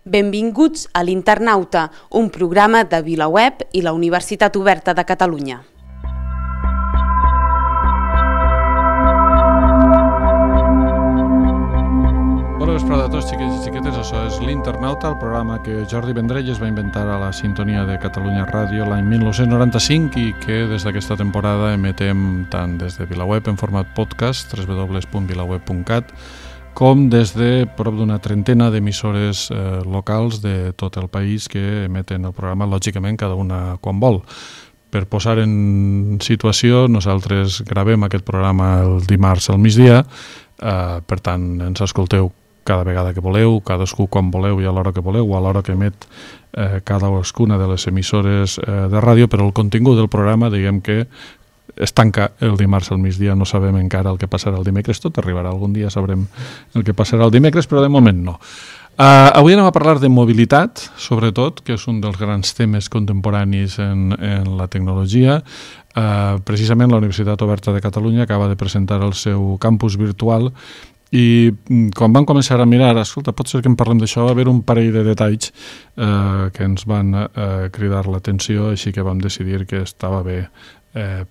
Benvinguts a l'Internauta, un programa de VilaWeb i la Universitat Oberta de Catalunya. Bona vesprada a tots, xiquets i xiquetes. Això és l'Internauta, el programa que Jordi Vendrell es va inventar a la sintonia de Catalunya Ràdio l'any 1995 i que des d'aquesta temporada emetem tant des de VilaWeb en format podcast, www.vilaweb.cat, com des de prop d'una trentena d'emissores locals de tot el país que emeten el programa, lògicament, cada una quan vol. Per posar en situació, nosaltres gravem aquest programa el dimarts al migdia, per tant, ens escolteu cada vegada que voleu, cadascú quan voleu i a l'hora que voleu, o a l'hora que emet cadascuna de les emissores de ràdio, però el contingut del programa, diguem que es tanca el dimarts al migdia, no sabem encara el que passarà el dimecres, tot arribarà, algun dia sabrem el que passarà el dimecres, però de moment no. Avui anem a parlar de mobilitat, sobretot, que és un dels grans temes contemporanis en la tecnologia. Precisament la Universitat Oberta de Catalunya acaba de presentar el seu campus virtual i quan vam començar a mirar, escolta, pot ser que en parlem d'això, va haver un parell de detalls que ens van cridar l'atenció, així que vam decidir que estava bé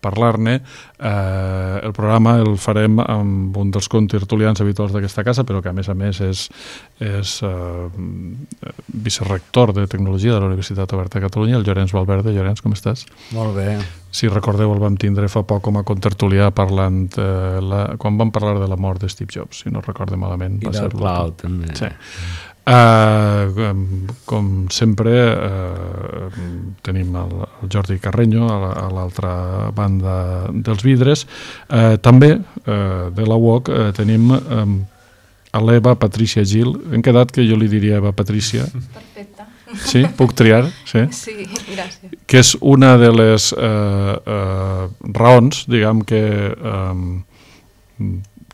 parlar-ne. El programa el farem amb un dels contertulians habituals d'aquesta casa, però que a més és vicerector de Tecnologia de la Universitat Oberta de Catalunya, el Llorenç Valverde. Llorenç, com estàs? Molt bé. Si recordeu, el vam tindre fa poc com a contertulià parlant quan vam parlar de la mort de Steve Jobs, si no recorde malament. I del cloud, també. Sí. Com sempre tenim el Jordi Carreño a l'altra banda dels vidres. També de la UOC tenim a l'Eva Patricia Gil. Hem quedat que jo li diria Eva Patricia. Perfecte. Sí? Puc triar? Sí, sí, gràcies. Que és una de les raons, diguem que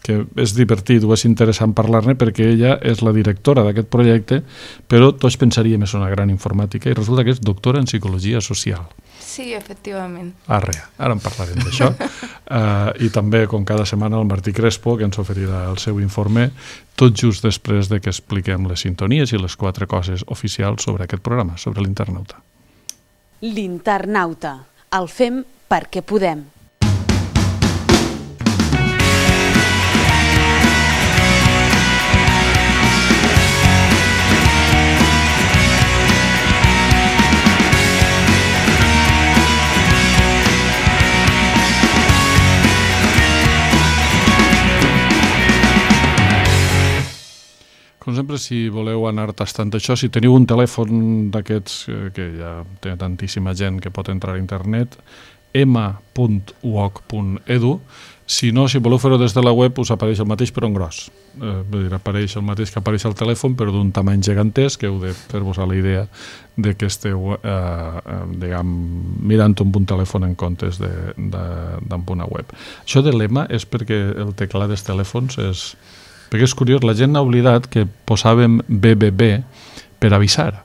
és divertit o és interessant parlar-ne, perquè ella és la directora d'aquest projecte, però tots pensaríem que és una gran informàtica i resulta que és doctora en psicologia social. Sí, efectivament. Ara en parlarem d'això. I també, com cada setmana, el Martí Crespo, que ens oferirà el seu informe, tot just després de que expliquem les sintonies i les 4 coses oficials sobre aquest programa, sobre l'Internauta. L'Internauta. El fem perquè podem. Com sempre, si voleu anar tastant això, si teniu un telèfon d'aquests que ja té tantíssima gent que pot entrar a internet, ema.uoc.edu. Si no, si voleu fer-ho des de la web, us apareix el mateix però en gros. Apareix el mateix que apareix al telèfon, però d'un tamany gegantesc, que heu de fer-vos a la idea de que esteu mirant amb un telèfon en comptes d'amb una web. Això de l'EMA és perquè el teclat dels telèfons és... Perquè és curiós, la gent ha oblidat que posàvem BBB per avisar,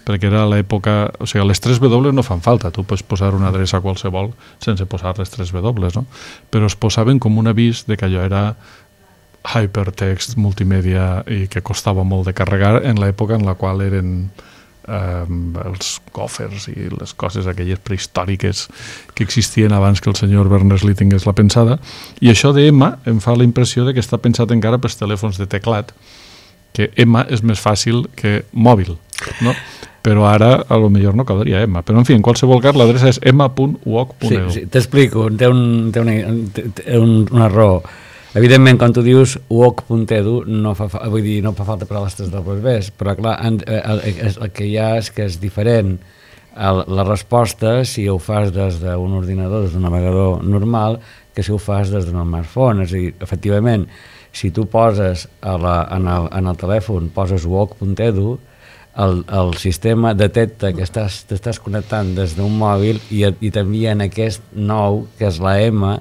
perquè era l'època... O sigui, les 3 W no fan falta, tu pots posar una adreça qualsevol sense posar les 3 W, no? Però es posaven com un avís de que allò era hypertext multimèdia i que costava molt de carregar en l'època en la qual eren els còfers i les coses aquelles prehistòriques que existien abans que el senyor Berners-Lee tingués la pensada, i això d'EMA em fa la impressió de que està pensat encara pels telèfons de teclat, que EMA és més fàcil que mòbil, no? Però ara a lo millor no caldria EMA, però en fi, en qualsevol cas l'adreça és ema.uoc.edu. Sí, t'explico, té un error. Evidentment, quan tu dius uoc.edu, no fa falta per a les 3 Ws, però clar, el que hi ha és que és diferent. La resposta, si ho fas des d'un ordinador, des d'un navegador normal, que si ho fas des d'un smartphone. És a dir, efectivament, si tu poses en el telèfon, poses uoc.edu, el sistema detecta que t'estàs connectant des d'un mòbil i t'envia en aquest nou, que és la M,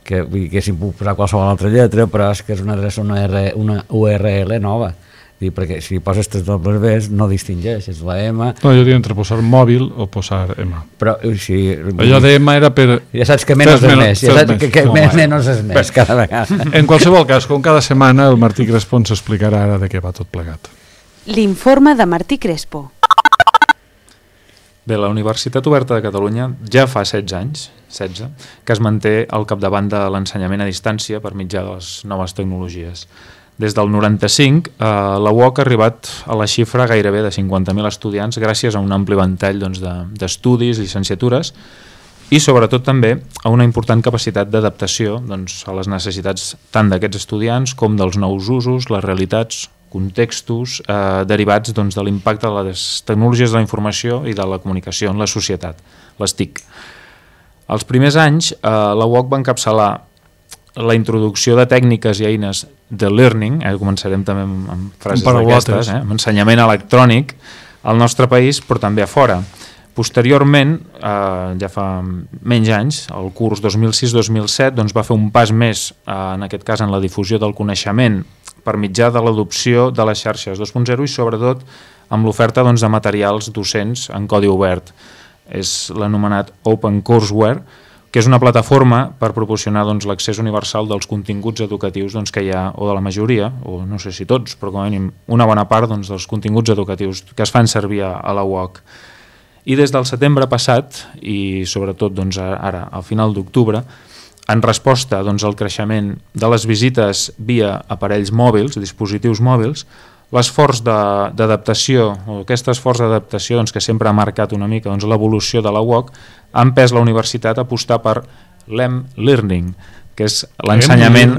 que si puc posar qualsevol altra lletra, però és que és una adreça, una URL nova. Perquè si poses 3 Ws no distingeix, és la M. No, jo diria entre posar mòbil o posar M. Però si... Allò de M era per... Ja saps que menys és més, ja saps que menys és més cada vegada. En qualsevol cas, com cada setmana, el Martí Crespo ens explicarà ara de què va tot plegat. L'informe de Martí Crespo. Bé, la Universitat Oberta de Catalunya ja fa 16 anys, que es manté al capdavant de l'ensenyament a distància per mitjà de les noves tecnologies. Des del 95, la UOC ha arribat a la xifra gairebé de 50.000 estudiants gràcies a un ampli ventall d'estudis, llicenciatures i sobretot també a una important capacitat d'adaptació a les necessitats tant d'aquests estudiants com dels nous usos, les realitats, contextos derivats de l'impacte de les tecnologies de la informació i de la comunicació en la societat, les TIC. Els primers anys, la UOC va encapçalar la introducció de tècniques i eines de learning, començarem també amb frases d'aquestes, amb ensenyament electrònic al nostre país, però també a fora. Posteriorment, ja fa menys anys, el curs 2006-2007 va fer un pas més, en aquest cas en la difusió del coneixement per mitjà de l'adopció de les xarxes 2.0 i sobretot amb l'oferta de materials docents en codi obert. És l'anomenat Open Courseware, que és una plataforma per proporcionar l'accés universal dels continguts educatius que hi ha, o de la majoria, o no sé si tots, però com a mínim una bona part dels continguts educatius que es fan servir a la UOC. I des del setembre passat, i sobretot ara, al final d'octubre, en resposta al creixement de les visites via aparells mòbils, dispositius mòbils, l'esforç d'adaptació, o aquest esforç d'adaptació que sempre ha marcat una mica l'evolució de la UOC, ha empès la universitat a apostar per l'e-learning, que és l'ensenyament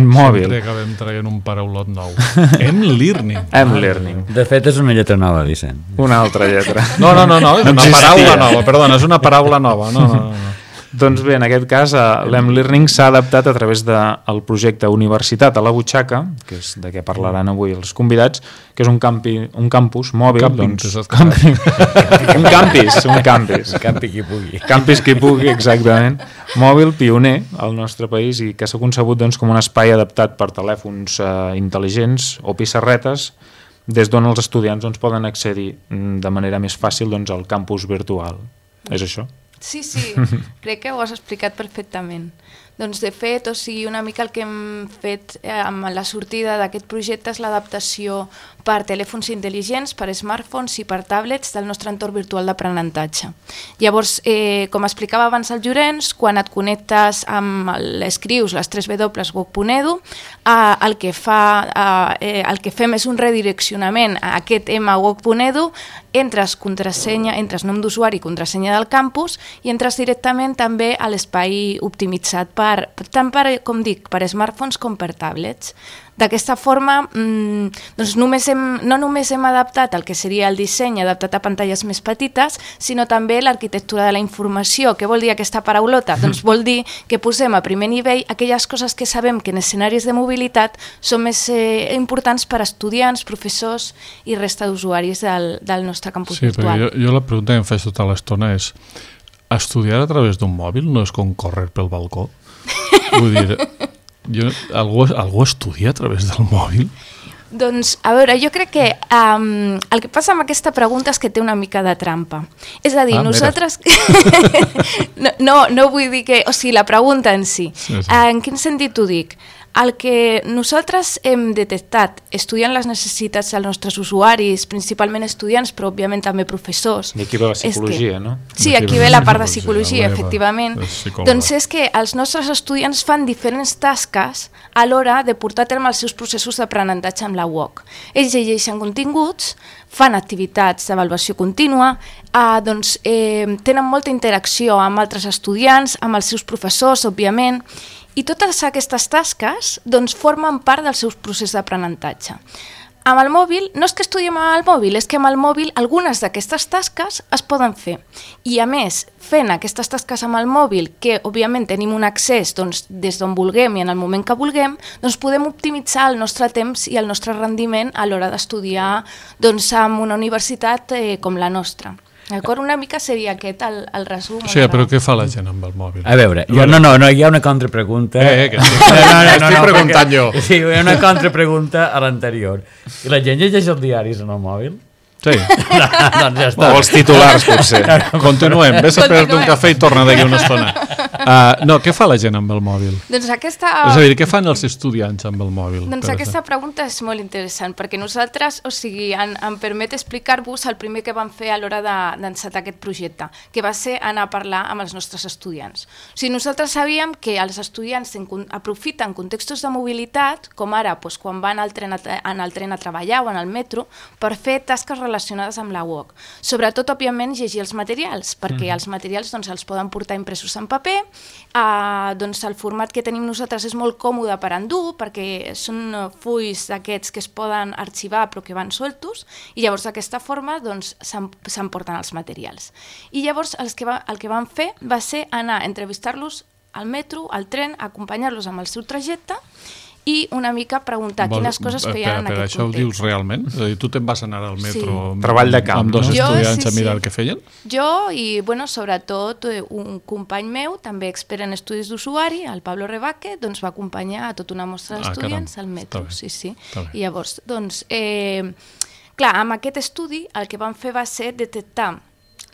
mòbil. Sempre acabem traient un paraulot nou. M-learning. M-learning. De fet, és una lletra nova, Vicent. Una altra lletra. No, és una paraula nova, perdona, és una paraula nova. No. Doncs bé, en aquest cas, l'M-Learning s'ha adaptat a través del projecte Universitat a la Butxaca, que és de què parlaran avui els convidats, que és un campus mòbil. Un campus. Campi qui pugui. Campus qui pugui, exactament. Mòbil, pioner al nostre país i que s'ha concebut com un espai adaptat per telèfons intel·ligents o pissarretes, des d'on els estudiants poden accedir de manera més fàcil al campus virtual. És això? Sí, crec que ho has explicat perfectament. Doncs de fet, una mica el que hem fet amb la sortida d'aquest projecte és l'adaptació per telèfons intel·ligents, per smartphones i per tablets del nostre entorn virtual d'aprenentatge. Llavors, com explicava abans el Llorenç, quan et connectes escrius les 3w.woc.edu, el que fem és un redireccionament a aquest mwoc.edu, entres nom d'usuari i contrasenya del campus i entres directament també a l'espai optimitzat tant per smartphones com per tablets. D'aquesta forma, no només hem adaptat el que seria el disseny adaptat a pantalles més petites, sinó també l'arquitectura de la informació. Què vol dir aquesta paraulota? Doncs vol dir que posem a primer nivell aquelles coses que sabem que en escenaris de mobilitat són més importants per a estudiants, professors i resta d'usuaris del nostre campus virtual. Sí, però jo la pregunta que em faig tota l'estona és: estudiar a través d'un mòbil no és com córrer pel balcó? Vull dir, algú estudia a través del mòbil? Doncs, a veure, jo crec que el que passa amb aquesta pregunta és que té una mica de trampa. És a dir, nosaltres... no vull dir que... O sigui, la pregunta en si. Sí. En quin sentit ho dic? El que nosaltres hem detectat estudiant les necessitats dels nostres usuaris, principalment estudiants, però òbviament també professors... I aquí ve la psicologia, no? Sí, aquí ve la part de psicologia, efectivament. Doncs és que els nostres estudiants fan diferents tasques a l'hora de portar a terme els seus processos d'aprenentatge amb la UOC. Ells llegeixen continguts, fan activitats d'avaluació contínua, tenen molta interacció amb altres estudiants, amb els seus professors, òbviament, i totes aquestes tasques formen part del seu procés d'aprenentatge. Amb el mòbil, no és que estudiem amb el mòbil, és que amb el mòbil algunes d'aquestes tasques es poden fer. I a més, fent aquestes tasques amb el mòbil, que òbviament tenim un accés des d'on vulguem i en el moment que vulguem, podem optimitzar el nostre temps i el nostre rendiment a l'hora d'estudiar en una universitat com la nostra. D'acord? Una mica seria aquest el resum. Sí, però què fa la gent amb el mòbil? A veure, hi ha una contrapregunta. Que estic preguntant jo. Sí, hi ha una contrapregunta a l'anterior. I la gent llegeix els diaris en el mòbil? Sí. Doncs ja està. O els titulars, potser. Continuem. Ves a fer-te un cafè i torna d'aquí una estona. No, què fa la gent amb el mòbil? Doncs aquesta... És a dir, què fan els estudiants amb el mòbil? Doncs aquesta pregunta és molt interessant, perquè nosaltres, o sigui, em permet explicar-vos el primer que vam fer a l'hora d'encetar aquest projecte, que va ser anar a parlar amb els nostres estudiants. O sigui, nosaltres sabíem que els estudiants aprofiten contextos de mobilitat, com ara doncs, quan van en el tren a treballar o en el metro, per fer tasques relacionades amb la UOC. Sobretot, òbviament, llegir els materials, perquè els materials doncs, els poden portar impresos en paper. Doncs el format que tenim nosaltres és molt còmode per endur, perquè són fulls d'aquests que es poden arxivar però que van soltos, i llavors d'aquesta forma doncs, s'emporten els materials. I llavors el que van fer va ser anar a entrevistar-los al metro, al tren, acompanyar-los amb el seu trajecte i una mica preguntar quines coses feien en aquest context. Això ho dius realment? És a dir, tu te'n vas anar al metro Treball de camp, amb dos no? estudiants a mirar què feien? Jo i, sobretot, un company meu, també expert en estudis d'usuari, el Pablo Rebaque, doncs va acompanyar a tota una mostra d'estudiants al metro. Sí. I llavors, doncs, clar, amb aquest estudi el que vam fer va ser detectar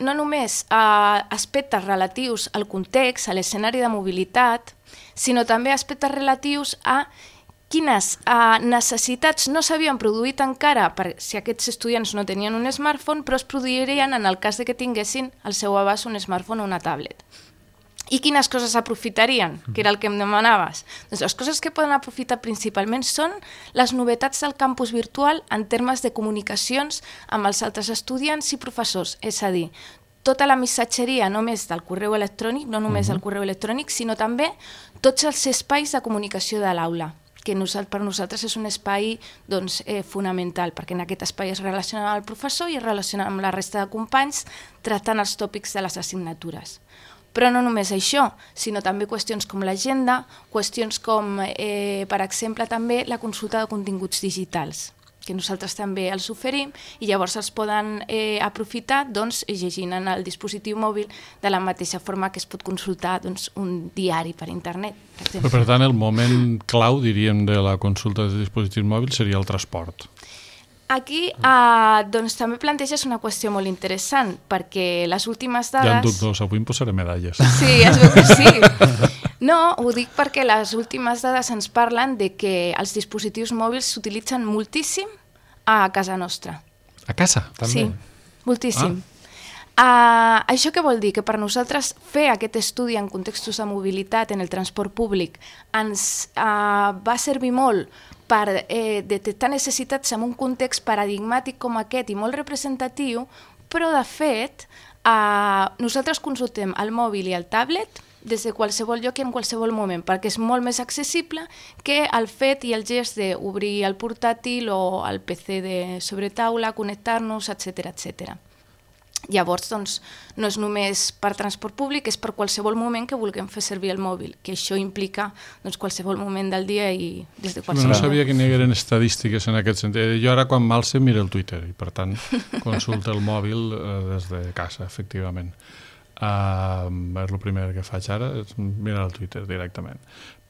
no només aspectes relatius al context, a l'escenari de mobilitat, sinó també aspectes relatius a quines necessitats no s'havien produït encara si aquests estudiants no tenien un smartphone, però es produirien en el cas de que tinguessin al seu abast un smartphone o una tablet. I quines coses aprofitarien, que era el que em demanaves? Doncs les coses que poden aprofitar principalment són les novetats del campus virtual en termes de comunicacions amb els altres estudiants i professors, és a dir, tota la missatgeria només del correu electrònic, no només del correu electrònic, sinó també tots els espais de comunicació de l'aula, que per nosaltres és un espai doncs, fonamental, perquè en aquest espai es relaciona amb el professor i es relaciona amb la resta de companys tractant els tòpics de les assignatures. Però no només això, sinó també qüestions com l'agenda, qüestions com, per exemple, també la consulta de continguts digitals, que nosaltres també els oferim i llavors els poden aprofitar doncs, llegint en el dispositiu mòbil de la mateixa forma que es pot consultar doncs, un diari per internet. Per tant, el moment clau, diríem, de la consulta de dispositius mòbils seria el transport. Aquí doncs, també planteges una qüestió molt interessant, perquè les últimes dades... Ja en dubtos, avui em posaré medalles. Sí, es veu que sí. No, ho dic perquè les últimes dades ens parlen de que els dispositius mòbils s'utilitzen moltíssim a casa nostra. A casa, també? Sí, moltíssim. Això què vol dir? Que per nosaltres fer aquest estudi en contextos de mobilitat en el transport públic ens va servir molt per detectar necessitats en un context paradigmàtic com aquest i molt representatiu, però de fet nosaltres consultem el mòbil i el tablet des de qualsevol lloc i en qualsevol moment, perquè és molt més accessible que el fet i el gest d'obrir el portàtil o el PC de sobretaula, connectar-nos, etc. Llavors, doncs, no és només per transport públic, és per qualsevol moment que vulguem fer servir el mòbil, que això implica doncs, qualsevol moment del dia i des de qualsevol... No sabia que n'hi hagueren estadístiques en aquest sentit. Jo ara quan m'alce miro el Twitter i per tant consulta el mòbil des de casa, efectivament. És el primer que faig ara, és mirar el Twitter directament.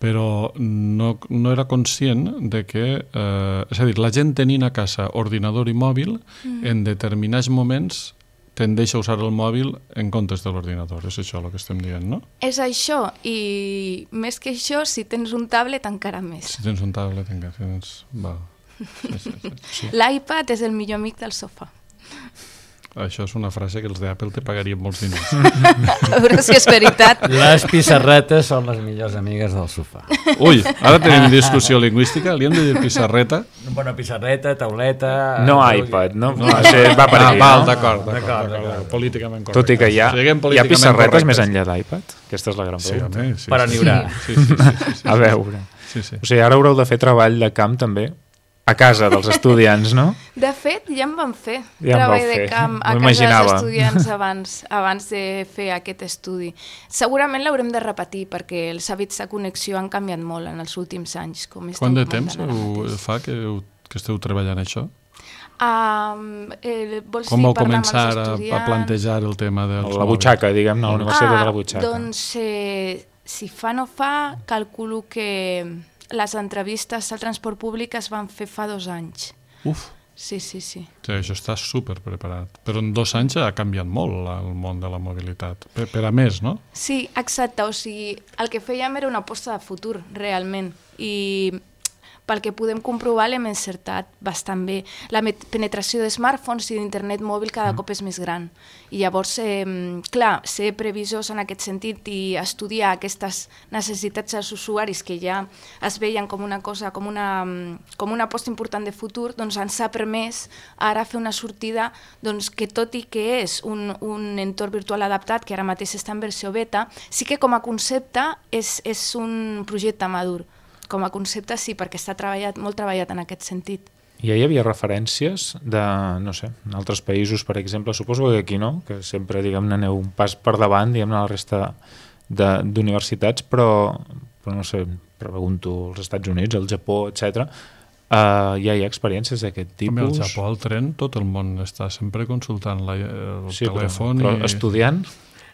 Però no era conscient de que, és a dir, la gent tenint a casa ordinador i mòbil, en determinats moments tendeix a usar el mòbil en comptes de l'ordinador. És això el que estem dient, no? És això, i més que això, si tens un tablet encara més. Si tens un tablet encara tens... Sí. L'iPad és el millor amic del sofà. Això és una frase que els d'Apple te pagarien molts diners. A veure si és veritat. Les pissarretes són les millors amigues del sofà. Ui, ara tenim discussió lingüística, li hem de dir pissarreta? Bueno, pissarreta, tauleta... No iPad, no? Va per aquí, val, no? d'acord. Políticament correcte. Tot i que hi ha pissarretes més enllà d'iPad? Aquesta és la gran pregunta. Sí, per enllorar. Sí. A veure. Sí. O sigui, ara haureu de fer treball de camp també a casa dels estudiants, no? De fet, ja en van fer treball de camp a casa dels estudiants abans de fer aquest estudi. Segurament l'haurem de repetir perquè els hàbits de connexió han canviat molt en els últims anys. Quant de temps fa que esteu treballant això? Com vau començar a plantejar el tema dels la butxaca, diguem, la universitat de la butxaca? Doncs, si fa no fa, calculo que les entrevistes al transport públic es van fer fa 2 anys. Uf! Sí. Sí, això està super preparat. Però en 2 anys ha canviat molt el món de la mobilitat. Per a més, no? Sí, exacte. O sigui, el que fèiem era una aposta de futur, realment. I pel que podem comprovar l'hem encertat bastant bé. La penetració de smartphones i d'internet mòbil cada cop és més gran. I llavors, clar, ser previsors en aquest sentit i estudiar aquestes necessitats dels usuaris que ja es veien com una cosa, com una aposta important de futur, doncs ens ha permès ara fer una sortida doncs, que tot i que és un entorn virtual adaptat, que ara mateix està en versió beta, sí que com a concepte és un projecte madur. Com a concepte sí, perquè està molt treballat en aquest sentit. I hi havia referències de, no sé, en altres països, per exemple, suposo que aquí no, que sempre, diguem-ne, aneu un pas per davant, diguem-ne, la resta d'universitats, però no sé, pregunto als Estats Units, al Japó, etc. Ja hi ha experiències d'aquest tipus? Al Japó, al tren, tot el món està sempre consultant el telèfon. Però estudiant?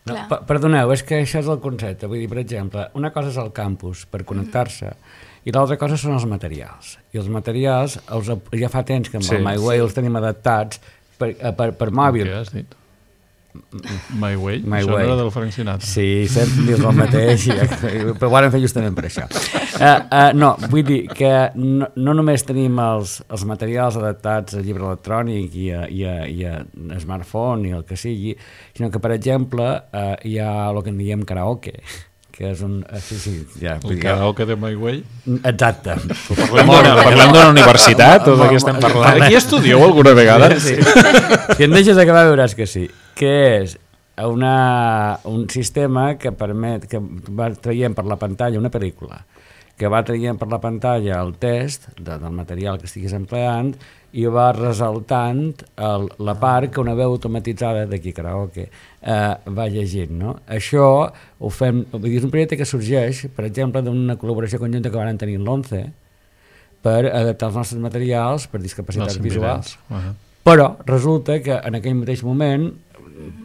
No, perdoneu, és que això és el concepte. Vull dir, per exemple, una cosa és el campus per connectar-se i l'altra cosa són els materials. I els materials, ja fa temps que amb el MyWay els tenim adaptats per mòbil. Què has dit? MyWay? Això no era del Frank Sinatra. Sí, sempre dius el mateix, però ho vam fer justament per això. No, vull dir que no només tenim els materials adaptats a llibre electrònic i a smartphone i el que sigui, sinó que, per exemple, hi ha el que en diem karaoke, que és un... El karaoke de MyWay? Exacte. Parlem d'una universitat o de què estem parlant? Aquí estudieu alguna vegada? Sí. Si em deixes acabar veuràs que sí. Que és un sistema que permet que va traient per la pantalla una pel·lícula, que va traient per la pantalla el test del material que estiguis empleant i va ressaltant la part que una veu automatitzada d'aquí karaoke va llegint, no? Això ho fem, és un projecte que sorgeix, per exemple, d'una col·laboració conjunta que van tenir l'11 per adaptar els nostres materials per discapacitats visuals. Però resulta que en aquell mateix moment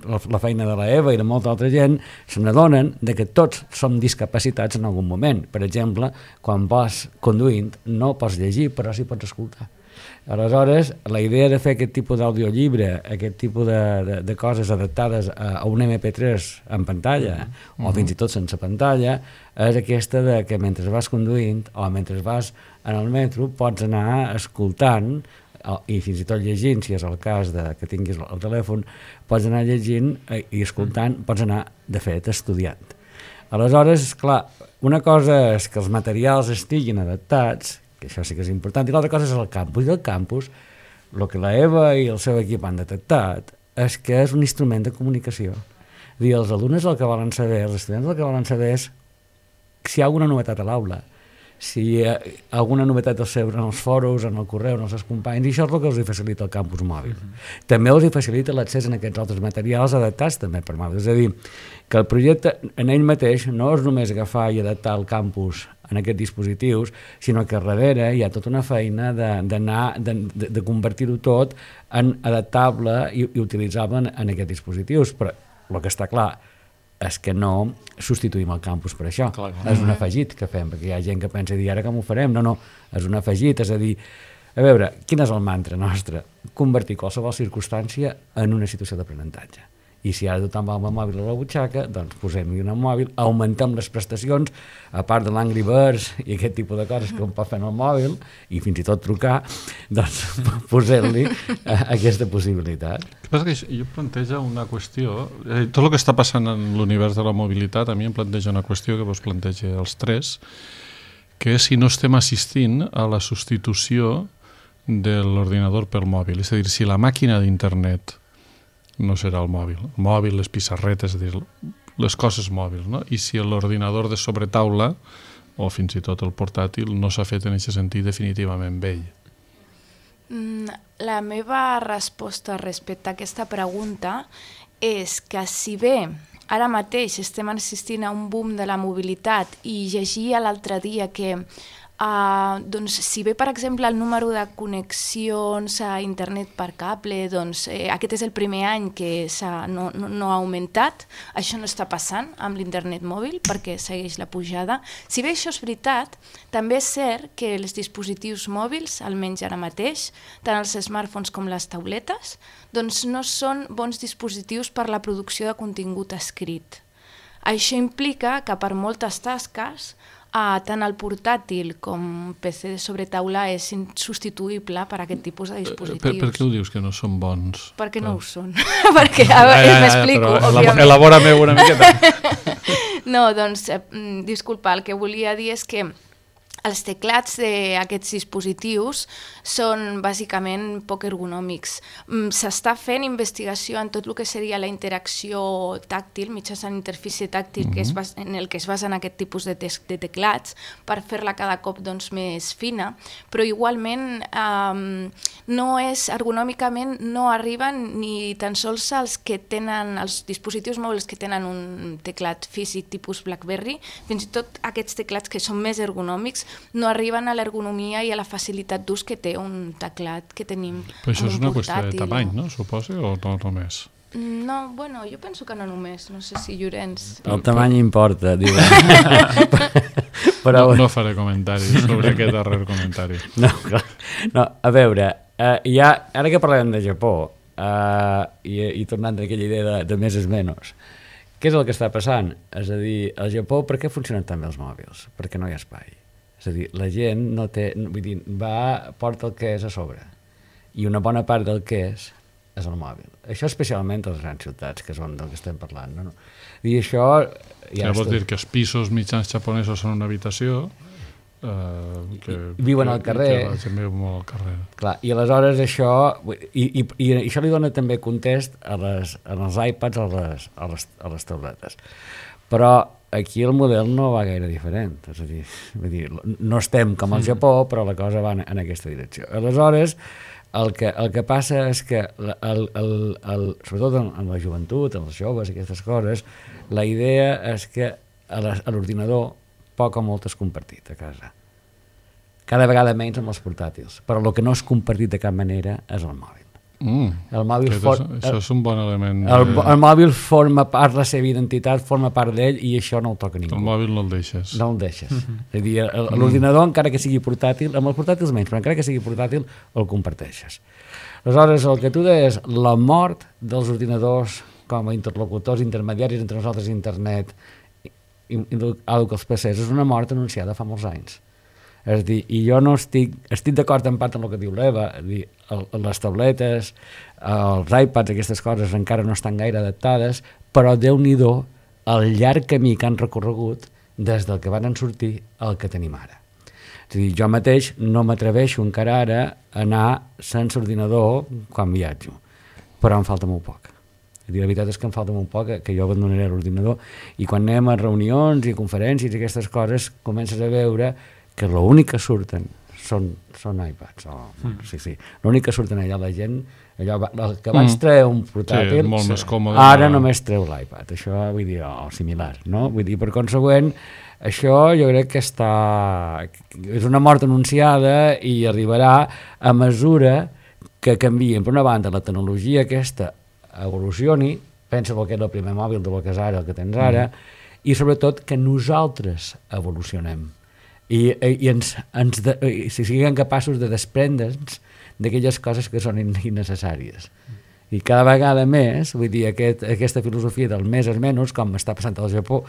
la feina de l'Eva i de molta altra gent se n'adonen que tots som discapacitats en algun moment. Per exemple, quan vas conduint no pots llegir, però sí pots escoltar. Aleshores, la idea de fer aquest tipus d'audiollibre, aquest tipus de coses adaptades a un MP3 en pantalla, o fins i tot sense pantalla, és aquesta de que mentre vas conduint o mentre vas en el metro pots anar escoltant i fins i tot llegint, si és el cas que tinguis el telèfon, pots anar llegint i escoltant, pots anar, de fet, estudiant. Aleshores, clar, una cosa és que els materials estiguin adaptats, que això sí que és important, i l'altra cosa és el campus. I el campus, el que la Eva i el seu equip han detectat, és que és un instrument de comunicació. És dir, els alumnes el que volen saber, els estudiants el que volen saber és si hi ha alguna novetat a l'aula, si hi ha alguna novetat en els foros, en el correu, en els seus companys, i això és el que els facilita el campus mòbil. També els facilita l'accés a aquests altres materials adaptats també per mòbil. És a dir, que el projecte en ell mateix no és només agafar i adaptar el campus en aquests dispositius, sinó que darrere hi ha tota una feina de convertir-ho tot en adaptable i utilitzable en aquests dispositius. Però el que està clar és que no substituïm el campus per això. Clar. És un afegit que fem, perquè hi ha gent que pensa dir, ara com ho farem? No, és un afegit, és a dir, a veure, quin és el mantra nostre? Convertir qualsevol circumstància en una situació d'aprenentatge. I si ara tothom va amb el mòbil a la butxaca, doncs posem-hi un mòbil, augmentem les prestacions, a part de l'Angry Birds i aquest tipus de coses que un pot fer en el mòbil, i fins i tot trucar, doncs posem-li aquesta possibilitat. El que passa que jo planteja una qüestió, tot el que està passant en l'univers de la mobilitat, a mi em planteja una qüestió que vos planteja els tres, que és si no estem assistint a la substitució de l'ordinador pel mòbil. És a dir, si la màquina d'internet no serà el mòbil, les pissarretes, és a dir, les coses mòbils, no? I si l'ordinador de sobretaula o fins i tot el portàtil no s'ha fet en aquest sentit definitivament vell. La meva resposta respecte a aquesta pregunta és que si bé ara mateix estem assistint a un boom de la mobilitat i llegia l'altre dia que doncs, si bé, per exemple, el número de connexions a internet per cable, doncs, aquest és el primer any que no ha augmentat, això no està passant amb l'internet mòbil perquè segueix la pujada. Si bé això és veritat, també és cert que els dispositius mòbils, almenys ara mateix, tant els smartphones com les tauletes, doncs no són bons dispositius per la producció de contingut escrit. Això implica que per moltes tasques tant el portàtil com PC de sobretaula és insubstituïble per a aquest tipus de dispositius. Per què ho dius que no són bons? Perquè no ho són. Perquè, m'explico, òbviament. Elabora-me una miqueta. No, doncs, disculpa, el que volia dir és que els teclats d'aquests dispositius són bàsicament poc ergonòmics. S'està fent investigació en tot el que seria la interacció tàctil, mitjançant interfície tàctil, en el que es basen aquest tipus de teclats, per fer-la cada cop més fina, però igualment ergonòmicament no arriben ni tan sols els dispositius mòbils que tenen un teclat físic tipus BlackBerry, fins i tot aquests teclats que són més ergonòmics no arriben a l'ergonomia i a la facilitat d'ús que té un teclat que tenim. Però això és una qüestió de tamany, no? Suposo, o no només? No, bueno, jo penso que no només. No sé si Llorenç... El tamany importa, diu. No faré comentaris sobre aquest darrer comentari. No, a veure, ara que parlem de Japó, i tornant a aquella idea de més és menys, què és el que està passant? És a dir, al Japó, per què funcionen tan bé els mòbils? Perquè no hi ha espai. És a dir, la gent no té... Vull dir, porta el que és a sobre. I una bona part del que és el mòbil. Això especialment a les grans ciutats, que és on del que estem parlant. No? I això... Ja vol dir que els pisos mitjans japonesos són una habitació, viuen al carrer. Que la gent viu molt al carrer. Clar, i aleshores això... I això li dona també context als iPads, a les tabletes. Però aquí el model no va gaire diferent. És a dir, no estem com al Japó, però la cosa va en aquesta direcció. Aleshores, el que passa és que, sobretot en la joventut, en els joves, aquestes coses, la idea és que a l'ordinador poc o molt és compartit a casa. Cada vegada menys amb els portàtils. Però el que no és compartit de cap manera és el mòbil. Això és un bon element. El mòbil forma part de la seva identitat, forma part d'ell, i això no el toca ningú. El mòbil no el deixes. No el deixes. És a dir, l'ordinador, encara que sigui portàtil, amb els portàtils menys, però encara que sigui portàtil, el comparteixes. Aleshores, el que tu deies, la mort dels ordinadors com a interlocutors intermediaris entre nosaltres i internet i els PCs és una mort anunciada fa molts anys. És a dir, i jo no estic d'acord en part amb el que diu l'Eva, les tabletes, els iPads, aquestes coses encara no estan gaire adaptades, però Déu-n'hi-do el llarg camí que han recorregut des del que van sortir al que tenim ara. És a dir, jo mateix no m'atreveixo encara ara a anar sense ordinador quan viatjo, però em falta molt poc. La veritat és que em falta molt poc, que jo abandonaré l'ordinador, i quan anem a reunions i conferències i aquestes coses comences a veure que l'únic que surten són iPads. Sí. L'únic que surten allà la gent, el que abans treia un portàtil, molt més còmode, ara només treu l'iPad. Això vull dir, similar, no? Vull dir, per consegüent, això jo crec que és una mort anunciada i arribarà a mesura que canvien. Per una banda, la tecnologia aquesta evolucioni, pensa el que és el primer mòbil del que és ara, el que tens ara, i sobretot que nosaltres evolucionem. I si siguem capaços de desprendre'ns d'aquelles coses que són innecessàries. I cada vegada més, vull dir, aquesta filosofia del més és menys, com està passant al Japó,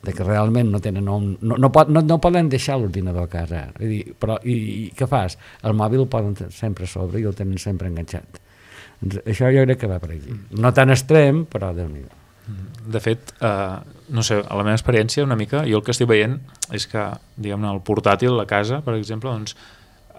de que realment no tenen no poden deixar l'ordinador a casa. Vull dir, però i què fas? El mòbil el poden sempre a sobre i el tenen sempre enganxat. Això jo crec que va per aquí. No tan extrem, però Déu-n'hi-do. De fet, no sé, a la meva experiència una mica, jo el que estic veient és que, diguem-ne, el portàtil a casa, per exemple, doncs,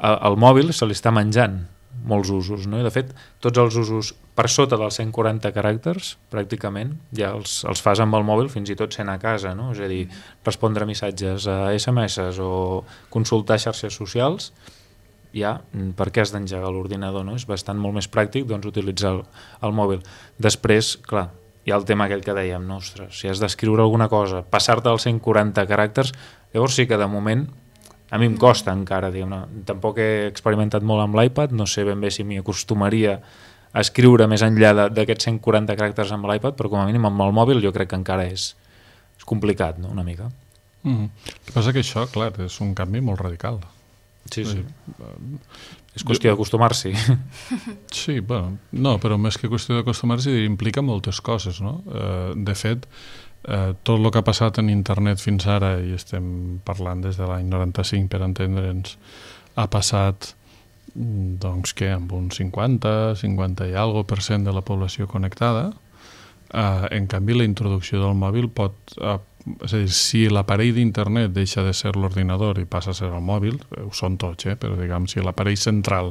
el mòbil se li està menjant molts usos, no? I de fet, tots els usos per sota dels 140 caràcters, pràcticament, ja els fas amb el mòbil fins i tot sent a casa, no? És a dir, respondre missatges a SMS o consultar xarxes socials, ja, per què has d'engegar l'ordinador, no? És bastant molt més pràctic, doncs, utilitzar el mòbil. Després, clar, hi ha el tema aquell que dèiem, no, ostres, si has d'escriure alguna cosa, passar-te als 140 caràcters, llavors sí que de moment A mi em costa encara, diguem-ne. Tampoc he experimentat molt amb l'iPad, no sé ben bé si m'hi acostumaria a escriure més enllà d'aquests 140 caràcters amb l'iPad, però com a mínim amb el mòbil jo crec que encara és complicat, no? Una mica. El que passa que això, clar, és un canvi molt radical. Sí. És qüestió d'acostumar-s'hi. Sí, bueno, no, però més que qüestió d'acostumar-s'hi implica moltes coses, no? De fet, tot el que ha passat en internet fins ara, i estem parlant des de l'any 95 per entendre'ns, ha passat doncs que amb un 50 i algo % de la població connectada. En canvi, la introducció del mòbil pot... és a dir, si l'aparell d'internet deixa de ser l'ordinador i passa a ser el mòbil, ho són tots, però diguem, si l'aparell central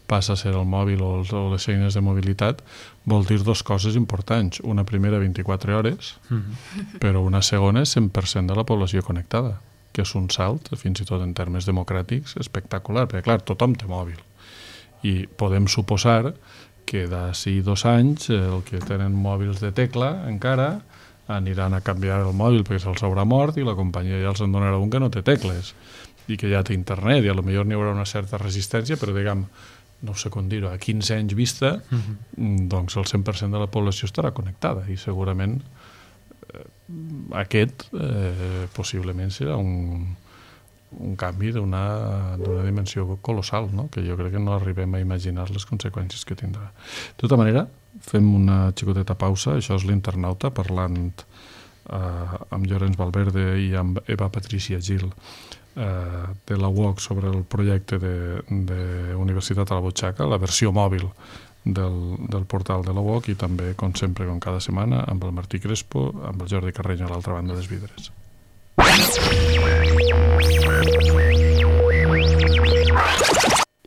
passa a ser el mòbil o les eines de mobilitat, vol dir dues coses importants. Una primera, 24 hores, però una segona és 100% de la població connectada, que és un salt, fins i tot en termes democràtics, espectacular, perquè clar, tothom té mòbil. I podem suposar que d'ací 2 anys el que tenen mòbils de tecla encara aniran a canviar el mòbil perquè se'ls haurà mort i la companyia ja els en donarà un que no té tecles i que ja té internet i a lo millor n'hi haurà una certa resistència, però diguem, no sé com dir-ho, a 15 anys vista, doncs el 100% de la població estarà connectada i segurament aquest possiblement serà un canvi d'una dimensió colossal, no? Que jo crec que no arribem a imaginar les conseqüències que tindrà. De tota manera, fem una xicoteta pausa. Això és l'Internauta, parlant amb Llorenç Valverde i amb Eva Patricia Gil de la UOC sobre el projecte de Universitat a la Butxaca, la versió mòbil del portal de la UOC, i també, com sempre, com cada setmana, amb el Martí Crespo, amb el Jordi Carreño a l'altra banda dels vidres.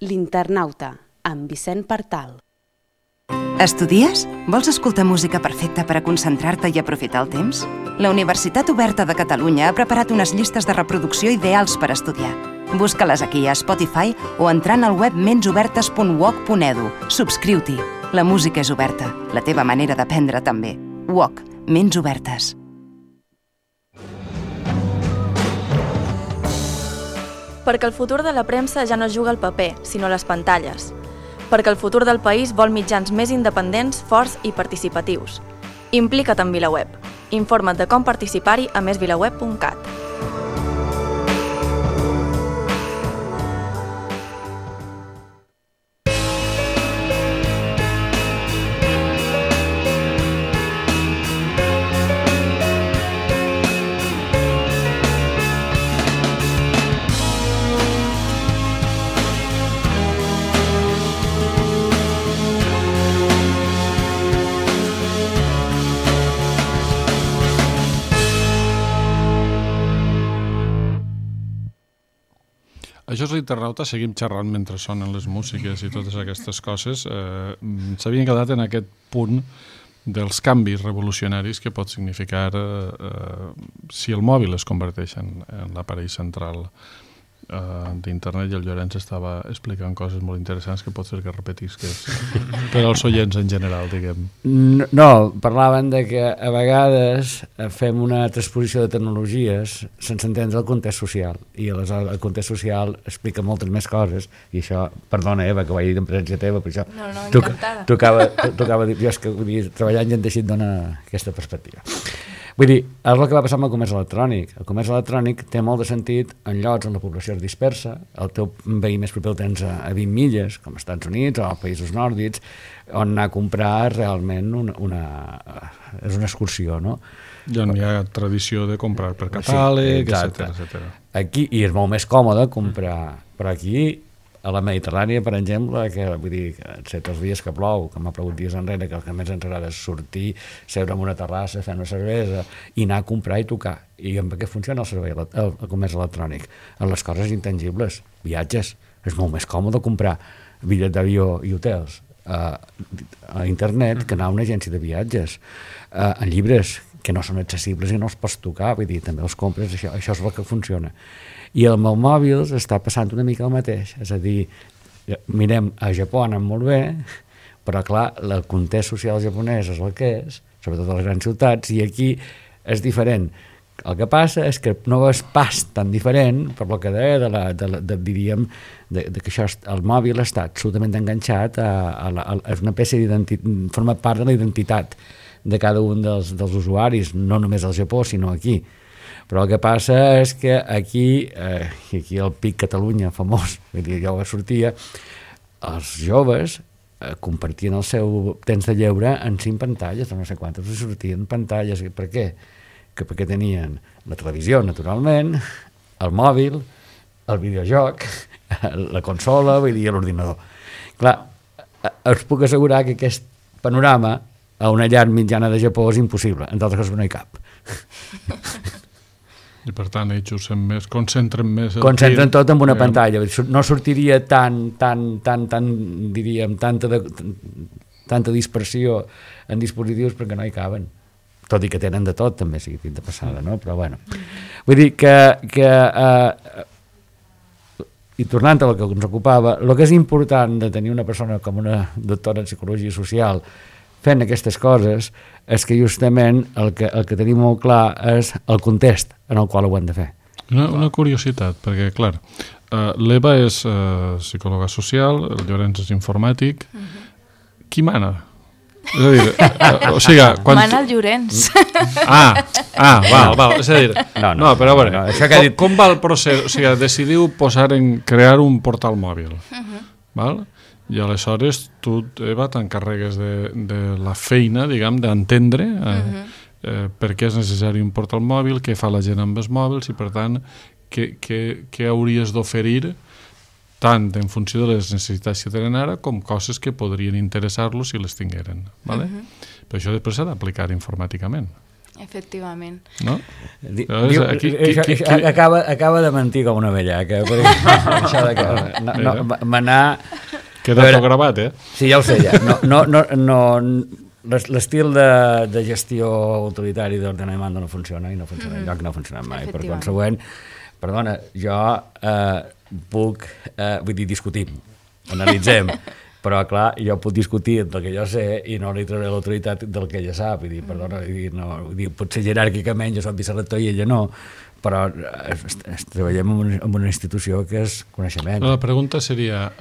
L'Internauta, amb Vicent Partal. Estudies? Vols escoltar música perfecta per a concentrar-te i aprofitar el temps? La Universitat Oberta de Catalunya ha preparat unes llistes de reproducció ideals per estudiar. Busca-les aquí a Spotify o entrant al web mensobertes.uoc.edu. Subscriu-t'hi. La música és oberta, la teva manera d'aprendre també. UOC, Ments Obertes. Perquè el futur de la premsa ja no juga al paper, sinó a les pantalles. Perquè el futur del país vol mitjans més independents, forts i participatius. Implica't en VilaWeb. Informa't de com participar-hi a mesvilaweb.cat. Això és l'Internauta, seguim xerrant mentre sonen les músiques i totes aquestes coses. S'havien quedat en aquest punt dels canvis revolucionaris que pot significar si el mòbil es converteix en l'aparell central d'internet, i el Llorenç estava explicant coses molt interessants que pot ser que repetisques per als oients en general, diguem. No, parlaven de que a vegades fem una transposició de tecnologies sense entendre el context social, i aleshores el context social explica moltes més coses, i això, perdona Eva, que ho vaig dir en presència teva, però això No, encantada. tocava dir, jo és que treballant ja en deixit dona aquesta perspectiva. Vull dir, és el que va passar amb el comerç electrònic. El comerç electrònic té molt de sentit en llocs on la població és dispersa, el teu veí més proper el tens a 20 milles, com als Estats Units o als països nòrdics, on anar a comprar realment és una excursió, no? Ja hi ha tradició de comprar per catàleg, sí, etc. Aquí, i és molt més còmode comprar, però aquí a la Mediterrània, per exemple, que vull dir, excepte els dies que plou, que m'ha plogut dies enrere, que el que més ens agrada és sortir, seure en una terrassa, fer una cervesa i anar a comprar i tocar. I amb què funciona el servei, el comerç electrònic? En les coses intangibles, viatges. És molt més còmode comprar bitllets d'avió i hotels a internet que anar a una agència de viatges. En llibres que no són accessibles i no els pots tocar, vull dir, també els compres, això és el que funciona. I amb el mòbil està passant una mica el mateix, és a dir, mirem, a Japó anem molt bé, però clar, el context social japonès és el que és, sobretot a les grans ciutats, i aquí és diferent El que passa és que no és pas tan diferent per lo que deia diríem que això, el mòbil està absolutament enganxat a una peça forma part de la identitat de cada un dels usuaris, no només al Japó sinó aquí. Però el que passa és que aquí el PIC Catalunya famós, jo sortia, els joves compartien el seu temps de lleure en 5 pantalles, no sé quantes, sortien pantalles. Per què? Perquè tenien la televisió, naturalment, el mòbil, el videojoc, la consola, vull dir, l'ordinador. Clar, us puc assegurar que aquest panorama a una llar mitjana de Japó és impossible, entre altres coses no hi cap. I per tant ells usen més, concentren més... Concentren tot en una pantalla, no sortiria diríem, tanta dispersió en dispositius perquè no hi caben. Tot i que tenen de tot, també, sigui dit de passada, no? Però bueno. Vull dir que i tornant a el que ens ocupava, el que és important de tenir una persona com una doctora en psicologia social fent aquestes coses és que justament el que tenim molt clar és el context en el qual ho hem de fer. Una curiositat, perquè, clar, l'Eva és psicòloga social, el Llorenç és informàtic. Qui mana? És a dir, o sigui... Mana el Llorenç. Val. És a dir, no, però a veure, com va el procés? O sigui, decidiu crear un portal mòbil, val? I aleshores tu, Eva, t'encarregues de la feina, diguem, d'entendre per què és necessari un portal mòbil, què fa la gent amb els mòbils i, per tant, què hauries d'oferir tant en funció de les necessitats que tenen ara com coses que podrien interessar-los si les tingueren. Vale? Però això després s'ha d'aplicar informàticament. Efectivament. No? Acaba de mentir com una vellaca. Això de manar... Queda tot gravat, Sí, ja ho sé, ja. L'estil de gestió autoritari d'ordenament no funciona i no funciona enlloc, no ha funcionat mai. Per consegüent, perdona, jo puc, vull dir, discutim, analitzem, però clar, jo puc discutir del que jo sé i no li trauré l'autoritat del que ella sap, vull dir, perdona, potser jeràrquicament jo soc vicerector i ella no, però treballem en una institució que és coneixement. La pregunta seria,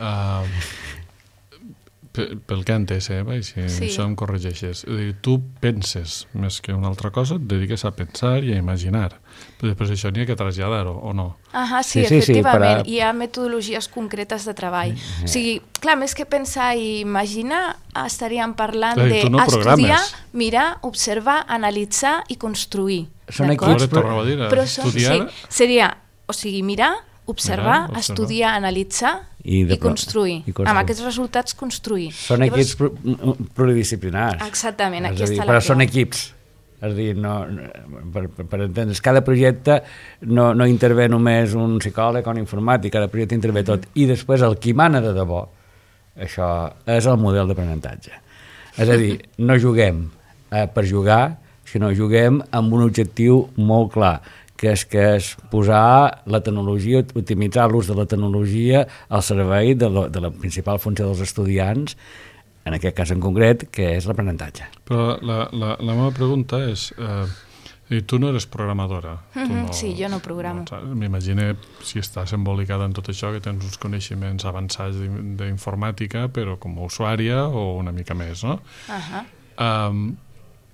pel que he entès, i si això em corregeixes, tu penses més que una altra cosa, et dediques a pensar i a imaginar, però després això n'hi ha que traslladar-ho, o no? Sí, efectivament, hi ha metodologies concretes de treball. O sigui, clar, més que pensar i imaginar, estaríem parlant d'estudiar, mirar, observar, analitzar i construir. Són equips, però seria, o sigui, mirar, observar, estudiar, analitzar i construir. Amb aquests resultats construir. Són equips pluridisciplinars. Exactament, aquí està la però són equips. És a dir, per entendre's, cada projecte no intervé només un psicòleg o un informàtic, cada projecte intervé tot. I després el qui mana de debò, això és el model d'aprenentatge. És a dir, no juguem per jugar, sinó juguem amb un objectiu molt clar, que és posar la tecnologia, optimitzar l'ús de la tecnologia al servei de la principal funció dels estudiants, en aquest cas en concret, que és l'aprenentatge. Però la meva pregunta és, tu no eres programadora. Sí, jo no programo. M'imagino, si estàs embolicada en tot això, que tens uns coneixements avançats d'informàtica, però com a usuària o una mica més, no?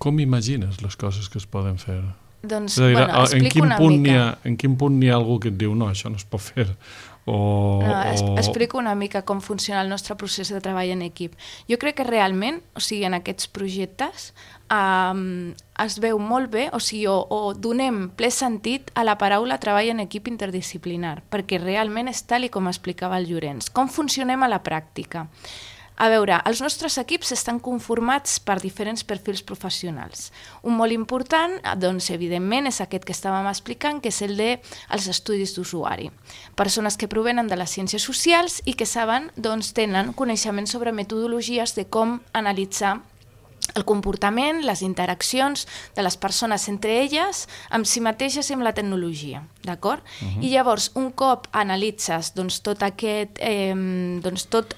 Com imagines les coses que es poden fer? Doncs, explico una mica. En quin punt hi ha algú que et diu no, això no es pot fer? Explico una mica com funciona el nostre procés de treball en equip. Jo crec que realment, o sigui, en aquests projectes es veu molt bé, o sigui, o donem ple sentit a la paraula treball en equip interdisciplinar, perquè realment és tal i com explicava el Llorenç. Com funcionem a la pràctica? A veure, els nostres equips estan conformats per diferents perfils professionals. Un molt important, doncs, evidentment, és aquest que estàvem explicant, que és el dels estudis d'usuari. Persones que provenen de les ciències socials i que saben, doncs, tenen coneixements sobre metodologies de com analitzar el comportament, les interaccions de les persones entre elles, amb si mateixes i amb la tecnologia, d'acord? I llavors, un cop analitzes tot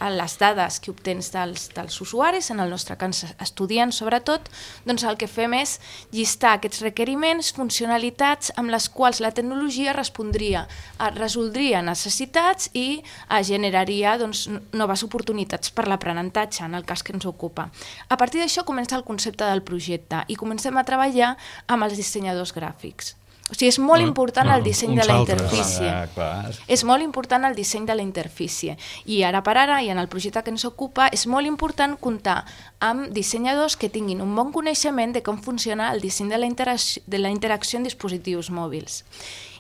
les dades que obtens dels usuaris, en el nostre cas estudiants sobretot, doncs el que fem és llistar aquests requeriments, funcionalitats amb les quals la tecnologia resoldria necessitats i generaria noves oportunitats per l'aprenentatge, en el cas que ens ocupa. A partir d'això comença el concepte del projecte i comencem a treballar amb els dissenyadors gràfics. O sigui, és molt important el disseny de la interfície. És molt important el disseny de la interfície. I ara per ara, i en el projecte que ens ocupa, és molt important comptar amb dissenyadors que tinguin un bon coneixement de com funciona el disseny de la interacció en dispositius mòbils.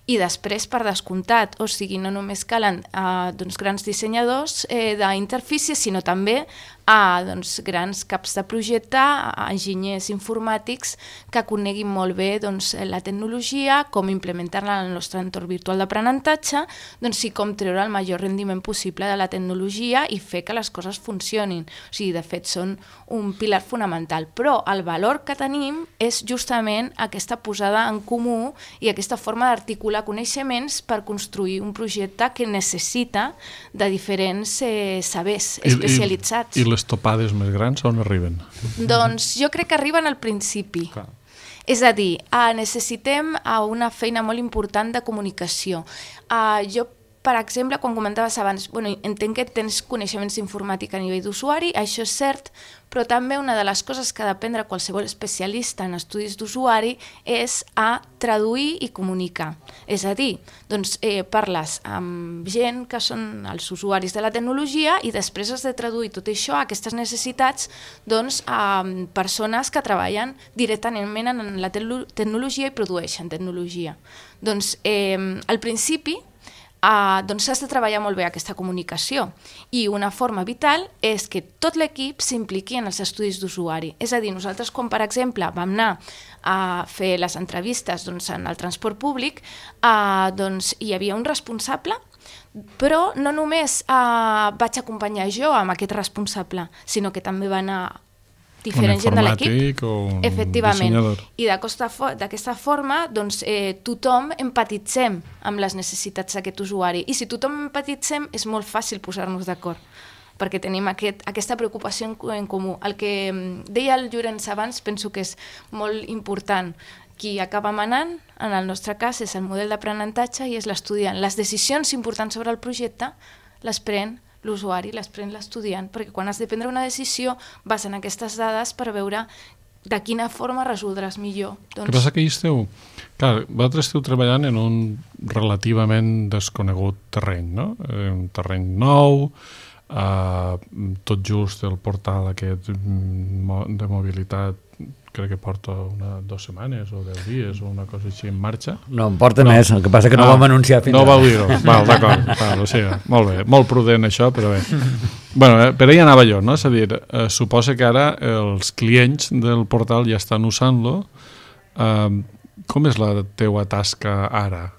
I després, per descomptat, o sigui, no només calen grans dissenyadors d'interfície, sinó també grans caps de projecte, enginyers informàtics que coneguin molt bé la tecnologia, com implementar-la en el nostre entorn virtual d'aprenentatge, i com treure el major rendiment possible de la tecnologia i fer que les coses funcionin. O sigui, de fet, són un pilar fonamental. Però el valor que tenim és justament aquesta posada en comú i aquesta forma d'articular coneixements per construir un projecte que necessita de diferents sabers especialitzats. I les topades més grans on arriben? Doncs jo crec que arriben al principi. Clar. És a dir, necessitem una feina molt important de comunicació. Jo, per exemple, quan comentaves abans, entenc que tens coneixements d'informàtica a nivell d'usuari, això és cert, però també una de les coses que ha d'aprendre qualsevol especialista en estudis d'usuari és a traduir i comunicar. És a dir, parles amb gent que són els usuaris de la tecnologia i després has de traduir tot això, aquestes necessitats, a persones que treballen directament en la tecnologia i produeixen tecnologia. Al principi, has de treballar molt bé aquesta comunicació i una forma vital és que tot l'equip s'impliqui en els estudis d'usuari. És a dir, nosaltres quan, per exemple, vam anar a fer les entrevistes en el transport públic, hi havia un responsable, però no només vaig acompanyar jo amb aquest responsable, sinó que també va anar diferent gent de l'equip, efectivament, i d'aquesta forma tothom empatitzem amb les necessitats d'aquest usuari, i si tothom empatitzem és molt fàcil posar-nos d'acord, perquè tenim aquesta preocupació en comú. El que deia el Llorenç abans penso que és molt important. Qui acaba manant, en el nostre cas, és el model d'aprenentatge i és l'estudiant. Les decisions importants sobre el projecte les pren l'usuari, les pren l'estudiant, perquè quan has de prendre una decisió vas en aquestes dades per veure de quina forma resoldràs millor. El que passa que vosaltres esteu treballant en un relativament desconegut terreny, no? Un terreny nou, tot just el portal aquest de mobilitat crec que porta 2 setmanes o 10 dies o una cosa així en marxa. No, en porta més, el que passa que no vam anunciar fins ara. No vau dir-ho, d'acord, o sigui, molt bé, molt prudent això, però bé. Per ahí anava jo, no? És a dir, suposa que ara els clients del portal ja estan usant-lo. Com és la teua tasca ara?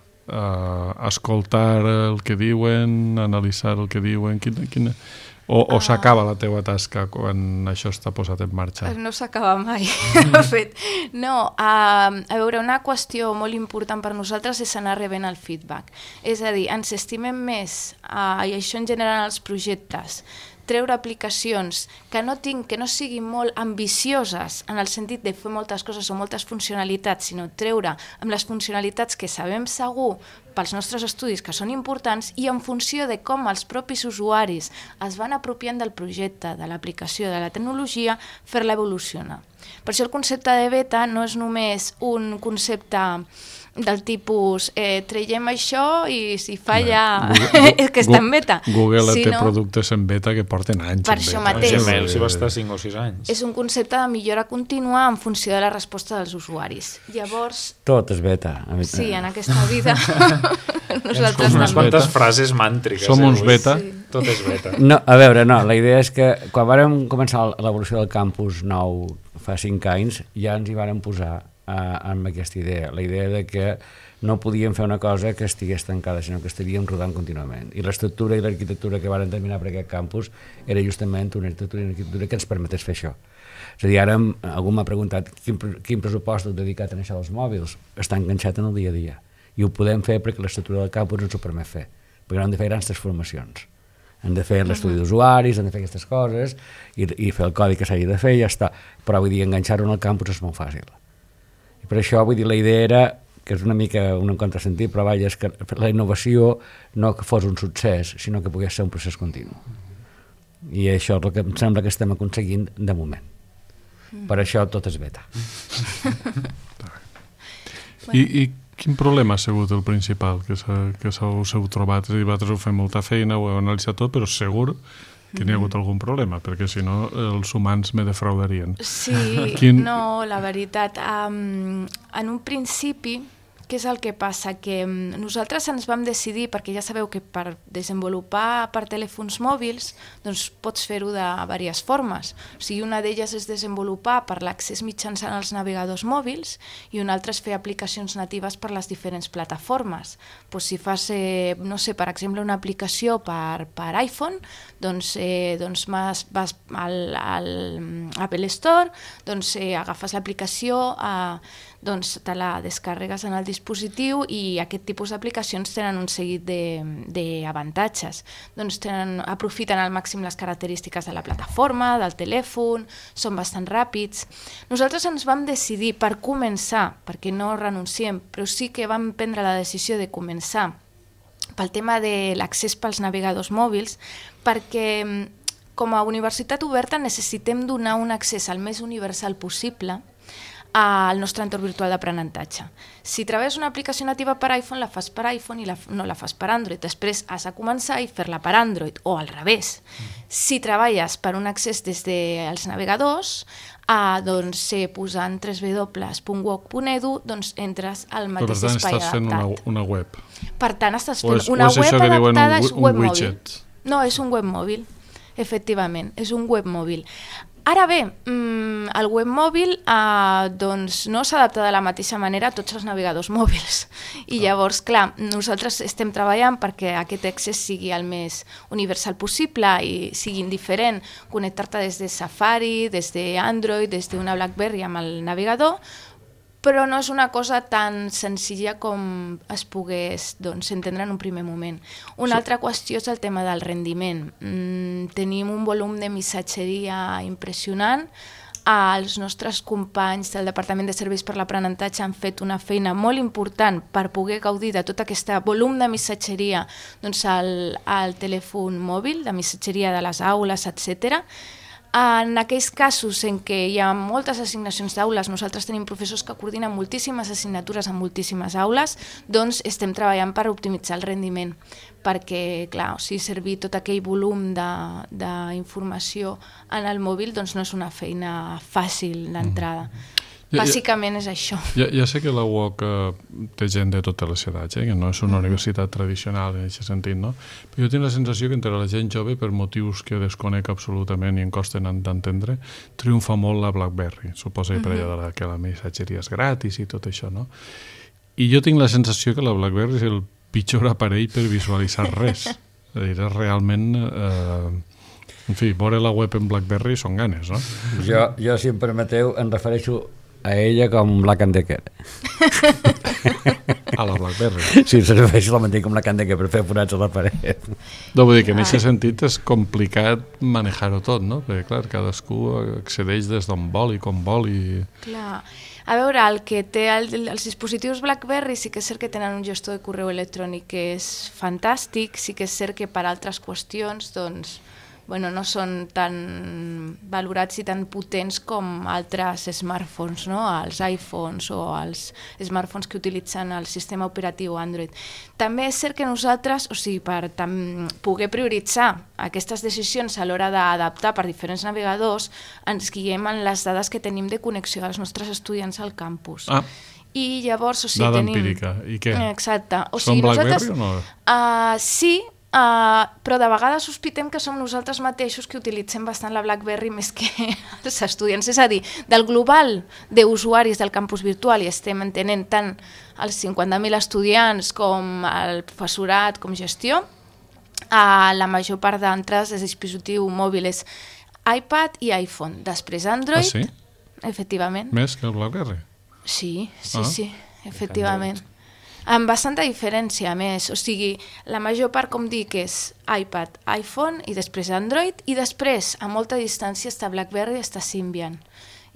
Escoltar el que diuen, analitzar el que diuen, o s'acaba la teua tasca quan això està posat en marxa? No s'acaba mai, de fet. No, a veure, una qüestió molt important per nosaltres és anar rebent el feedback. És a dir, ens estimem més, i això en general en els projectes, treure aplicacions que no siguin molt ambicioses en el sentit de fer moltes coses o moltes funcionalitats, sinó treure amb les funcionalitats que sabem segur pels nostres estudis que són importants i en funció de com els propis usuaris es van apropiant del projecte, de l'aplicació, de la tecnologia, fer-la evolucionar. Per això el concepte de beta no és només un concepte del tipus traiem això i si falla és que està en beta. Google té productes en beta que porten anys per això mateix. Gmail si va estar 5 o 6 anys. És un concepte de millora contínua en funció de la resposta dels usuaris. Llavors... Tot és beta. Sí, en aquesta vida nosaltres com unes quantes frases màntriques. Som uns beta. Tot és beta. No, a veure, la idea és que quan vàrem començar l'evolució del campus nou fa 5 anys ja ens hi vàrem posar amb aquesta idea, la idea de que no podíem fer una cosa que estigués tancada, sinó que estaríem rodant contínuament. I l'estructura i l'arquitectura que van determinar per aquest campus era justament una arquitectura i una arquitectura que ens permetés fer això. És a dir, ara algú m'ha preguntat quin pressupost heu dedicat a això dels mòbils. Està enganxat en el dia a dia. I ho podem fer perquè l'estructura del campus ens ho permet fer. Perquè no hem de fer grans transformacions. Hem de fer l'estudi d'usuaris, hem de fer aquestes coses i fer el codi que s'hagi de fer i ja està. Però vull dir, enganxar-ho en el campus és molt fàcil. I per això, vull dir, la idea era, que és una mica un contrasentit, però vaja, és que la innovació no que fos un succés, sinó que pogués ser un procés continu. I això és el que em sembla que estem aconseguint de moment. Per això tot és beta. I quin problema ha sigut el principal que s'heu trobat? És a dir, vosaltres heu fet molta feina, ho heu analitzat tot, però segur que n'hi ha hagut algun problema, perquè si no els humans me defraudarien. Sí, no, la veritat. En un principi, què és el que passa? Que nosaltres ens vam decidir, perquè ja sabeu que per desenvolupar per telèfons mòbils doncs pots fer-ho de diverses formes. O sigui, una d'elles és desenvolupar per l'accés mitjançant els navegadors mòbils i una altra és fer aplicacions natives per les diferents plataformes. Doncs si fas, no sé, per exemple, una aplicació per iPhone, doncs vas al Apple Store, doncs agafes l'aplicació, doncs te la descarregues en el dispositiu i aquest tipus d'aplicacions tenen un seguit d'avantatges. Doncs aprofiten al màxim les característiques de la plataforma, del telèfon, són bastant ràpids. Nosaltres ens vam decidir per començar, perquè no renunciem, però sí que vam prendre la decisió de començar pel tema de l'accés pels navegadors mòbils, perquè com a universitat oberta necessitem donar un accés al més universal possible al nostre entorn virtual d'aprenentatge. Si treballes una aplicació nativa per iPhone, la fas per iPhone i no la fas per Android. Després has de començar i fer-la per Android, o al revés. Si treballes per un accés des dels navegadors, doncs posant www.woc.edu, doncs entres al mateix espai adaptat. Per tant, estàs fent una web. Per tant, estàs fent una web adaptada, és web mòbil. No, és un web mòbil, efectivament, és un web mòbil. Ara bé, el web mòbil doncs no s'adapta de la mateixa manera a tots els navegadors mòbils. I llavors, clar, nosaltres estem treballant perquè aquest accés sigui el més universal possible i sigui indiferent connectar-te des de Safari, des d'Android, des d'una BlackBerry amb el navegador, però no és una cosa tan senzilla com es pogués entendre en un primer moment. Una altra qüestió és el tema del rendiment. Tenim un volum de missatgeria impressionant. Els nostres companys del Departament de Serveis per l'Aprenentatge han fet una feina molt important per poder gaudir de tot aquest volum de missatgeria al telèfon mòbil, de missatgeria de les aules, etc. En aquells casos en què hi ha moltes assignacions d'aules, nosaltres tenim professors que coordinen moltíssimes assignatures en moltíssimes aules, doncs estem treballant per optimitzar el rendiment, perquè, clar, servir tot aquell volum d'informació en el mòbil doncs no és una feina fàcil d'entrada. Bàsicament és això. Ja sé que la UOC té gent de totes les edats, que no és una universitat tradicional en aquest sentit, no? Però jo tinc la sensació que entre la gent jove, per motius que desconec absolutament i em costen d'entendre, triomfa molt la BlackBerry. Suposa que per allà que la missatgeria és gratis i tot això, no? I jo tinc la sensació que la BlackBerry és el pitjor aparell per visualitzar res. És a dir, és realment... En fi, veure la web en BlackBerry són ganes, no? Jo, si em permeteu, em refereixo a ella com Black & Decker. A la BlackBerry. Sí, serveix la mantenir com Black & Decker per fer forats a la paret. No, vull dir que en aquest sentit és complicat manejar-ho tot, no? Perquè, clar, cadascú accedeix des d'on vol i com vol i... Clar. A veure, el que té els dispositius BlackBerry sí que és cert que tenen un gestor de correu electrònic que és fantàstic, sí que és cert que per altres qüestions, doncs, no són tan valorats i tan potents com altres smartphones, no? Els iPhones o els smartphones que utilitzen el sistema operatiu Android. També és cert que nosaltres, per poder prioritzar aquestes decisions a l'hora d'adaptar per diferents navegadors, ens guiem en les dades que tenim de connexió dels nostres estudiants al campus. I llavors, dada empírica. I què? Exacte. Són BlackBerry o no? Sí, però de vegades sospitem que som nosaltres mateixos que utilitzem bastant la BlackBerry més que els estudiants. És a dir, del global d'usuaris del campus virtual, i estem entenent tant els 50.000 estudiants com el professorat com gestió, la major part d'entrades de dispositiu mòbil és iPad i iPhone. Després Android, sí? Efectivament. Més que el BlackBerry? Sí, efectivament. Amb bastanta diferència, a més. O sigui, la major part, com dic, és iPad, iPhone i després Android, i després, a molta distància, està BlackBerry i està Symbian.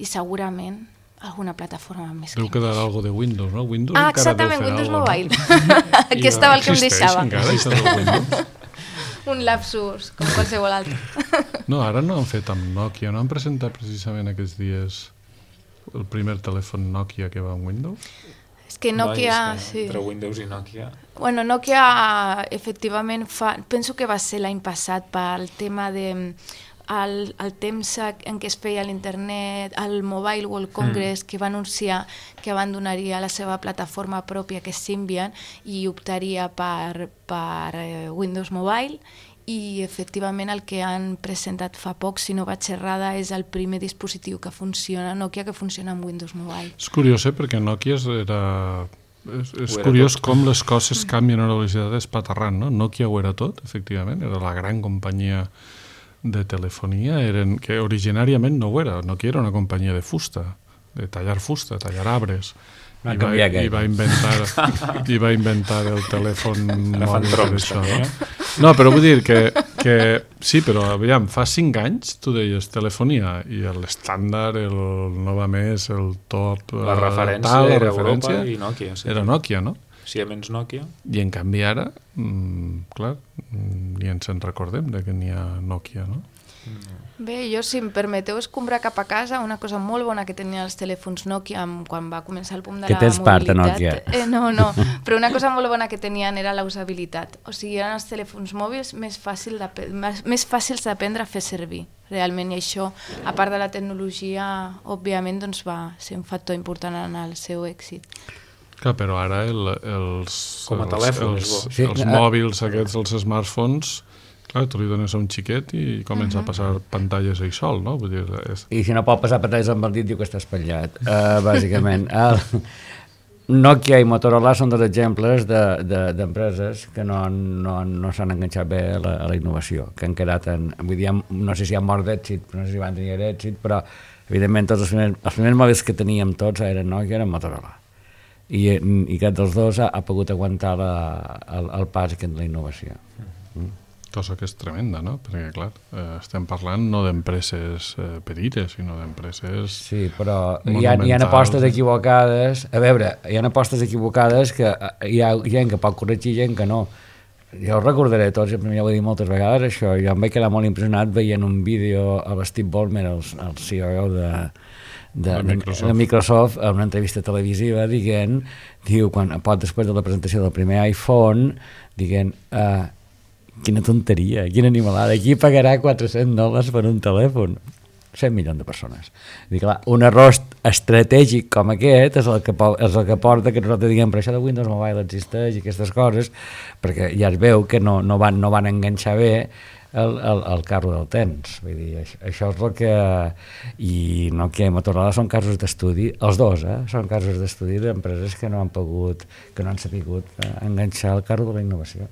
I segurament alguna plataforma més. Deu quedar alguna de Windows, no? Windows exactament, Windows Mobile. Aquí estava el que em deixava. Encara això del Windows? Un lapsus, com qualsevol altre. No, ara no han fet amb Nokia, no han presentat precisament aquests dies el primer telèfon Nokia que va amb Windows? És que Nokia... Entre Windows i Nokia... Bueno, Nokia efectivament penso que va ser l'any passat pel tema de el temps en què es feia l'internet, el Mobile World Congress, que va anunciar que abandonaria la seva plataforma pròpia, que és Symbian, i optaria per Windows Mobile, i efectivament el que han presentat fa poc, si no vaig errada, és el primer dispositiu que funciona, Nokia, que funciona amb Windows Mobile. És curiós, Perquè Nokia és curiós com les coses canvien a una velocitat espaterrant, no? Nokia ho era tot, efectivament, era la gran companyia de telefonia, que originàriament no ho era. Nokia era una companyia de fusta, de tallar fusta, tallar arbres. I va inventar el telèfon mòbil per això, no? No, però vull dir que sí, però aviam, fa 5 anys tu deies telefonia i l'estàndard, el Nova Més, el top, la referència era Europa i Nokia. Era Nokia, no? Siemens Nokia. I en canvi ara, clar, ni ens en recordem de que n'hi ha Nokia, no? Bé, jo, si em permeteu escombrar cap a casa, una cosa molt bona que tenien els telèfons Nokia quan va començar el boom de la mobilitat. Que tens part de Nokia. No, però una cosa molt bona que tenien era la usabilitat. O sigui, eren els telèfons mòbils més fàcils d'aprendre a fer servir, realment, i això, a part de la tecnologia, òbviament, doncs va ser un factor important en el seu èxit. Clar, però ara els mòbils aquests, els smartphones, clar, tu li dones a un xiquet i comença a passar pantalles ell sol, no? Vull dir, I si no pot passar pantalles amb el dit, diu que està espatllat, bàsicament. Nokia i Motorola són dos exemples d'empreses que no s'han enganxat bé a la innovació, que han quedat vull dir, no sé si han mort d'èxit, no sé si van tenir èxit, però evidentment tots els primers mòbils que teníem tots eren Nokia i eren Motorola. I cap dels dos ha pogut aguantar el pas de la innovació. Cosa que és tremenda, no? Perquè, clar, estem parlant no d'empreses petites, sinó d'empreses... Sí, però hi ha apostes equivocades. A veure, hi ha apostes equivocades que hi ha gent que pot corregir, gent que no. Jo ho recordaré tots, ja ho he dit moltes vegades, això. Jo em vaig quedar molt impressionat veient un vídeo a Steve Ballmer, el CEO de Microsoft, a una entrevista televisiva, diu, després de la presentació del primer iPhone, quina tonteria, quina animalada, qui pagarà $400 per un telèfon? 100 milions de persones. Clar, un error estratègic com aquest és el que porta que nosaltres diguem, però això de Windows Mobile existeix i aquestes coses, perquè ja es veu que no van enganxar bé el carro del temps. Vull dir, això és el que... I Nokia i Motorola són casos d'estudi, els dos, són casos d'estudi d'empreses que no han sabut enganxar el carro de la innovació.